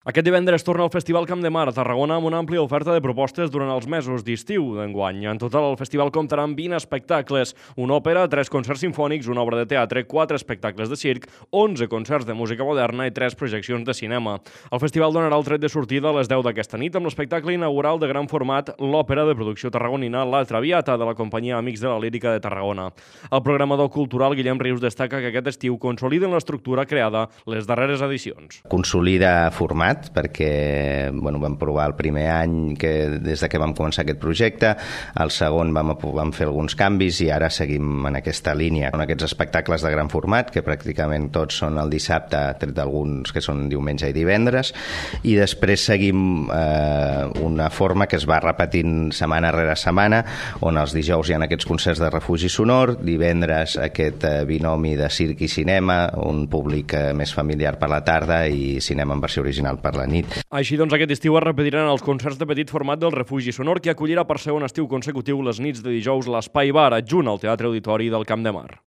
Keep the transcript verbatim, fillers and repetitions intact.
Aquest divendres torna el Festival Camp de Mar a Tarragona amb una àmplia oferta de propostes durant els mesos d'estiu d'enguany. En total, el festival comptarà amb vint espectacles, una òpera, tres concerts sinfònics, una obra de teatre, quatre espectacles de circ, onze concerts de música moderna i tres projeccions de cinema. El festival donarà el tret de sortida a les deu d'aquesta nit amb l'espectacle inaugural de gran format, l'òpera de producció tarragonina La Traviata, de la companyia Amics de la Lírica de Tarragona. El programador cultural Guillem Rius destaca que aquest estiu consoliden l'estructura creada les darreres edicions. Consolida format, perquè bueno, vam provar el primer any que des de que vam començar aquest projecte, el segon vam, vam fer alguns canvis i ara seguim en aquesta línia. En aquests espectacles de gran format, que pràcticament tots són el dissabte, tret d'alguns que són diumenge i divendres, i després seguim eh, una forma que es va repetint setmana rere setmana, on els dijous hi ha aquests concerts de refugi sonor, divendres aquest eh, binomi de circ i cinema, un públic eh, més familiar per la tarda i cinema en versió original per la nit. Així doncs, aquest estiu es repetiran els concerts de petit format del Refugi Sonor, que acollirà per segon estiu consecutiu les nits de dijous l'Espai Bar, adjunt al Teatre Auditori del Camp de Mar.